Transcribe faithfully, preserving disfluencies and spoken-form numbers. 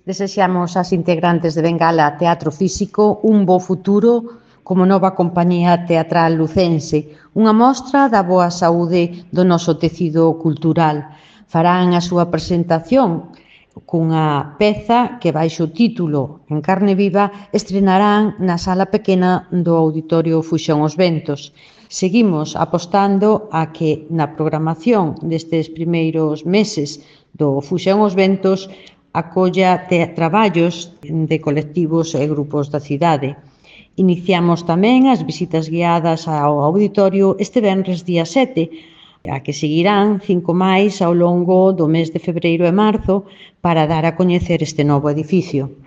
Desexamos ás integrantes de Bengala Teatro Físico un bo futuro como nova compañía teatral lucense, unha mostra da boa saúde do noso tecido cultural. Farán a súa presentación cunha peza que baixo o título En carne viva estrenarán na sala pequena do Auditorio Fuxón Os Ventos. Seguimos apostando a que na programación destes primeiros meses do Fuxón Os Ventos acolla traballos de colectivos e grupos da cidade. Iniciamos tamén as visitas guiadas ao auditorio este venres día sete, a que seguirán cinco máis ao longo do mes de febreiro e marzo para dar a coñecer este novo edificio.